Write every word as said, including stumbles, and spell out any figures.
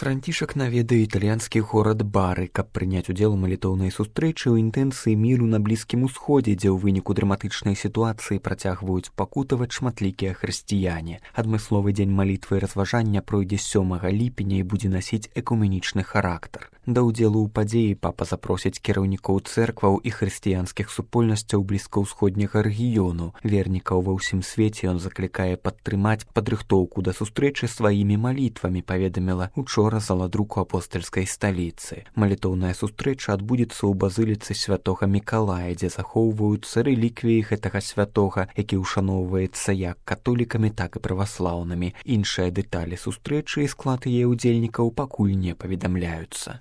Францішак наведае італьянскі горад Бары, каб прыняць удзел у малітоўнай сустрэчы ў інтэнцыі міру на Блізкім Усходзе, дзе ў выніку драматычнай сітуацыі працягваюць пакутаваць шматлікія хрысціяне. Адмысловы дзень малітвы і разважання пройдзе сёмага ліпеня і будзе насіць экуменічны характар. Да ўдзелу ў падзеі папа запросіць кіраўнікоў цэркваў і хрысціянскіх супольнасцяў блізкаўсходняга рэгіёну. Вернікаў ва ўсім свеце ён заклікае падтрымаць падрыхтоўку да сустрэчы сваімі малітвамі, паведаміла учора заладруку апостальскай сталіцы. Малітоўная сустрэча адбудзецца ў базыліцы святога Мікалая, дзе захоўваюцца рэліквіі гэтага святога, які ўшаноўваецца як католікамі, так і праваслаўнымі. Іншыя дэталі сустрэчы і склад яе ўдзельнікаў пакуль не паведамляюцца.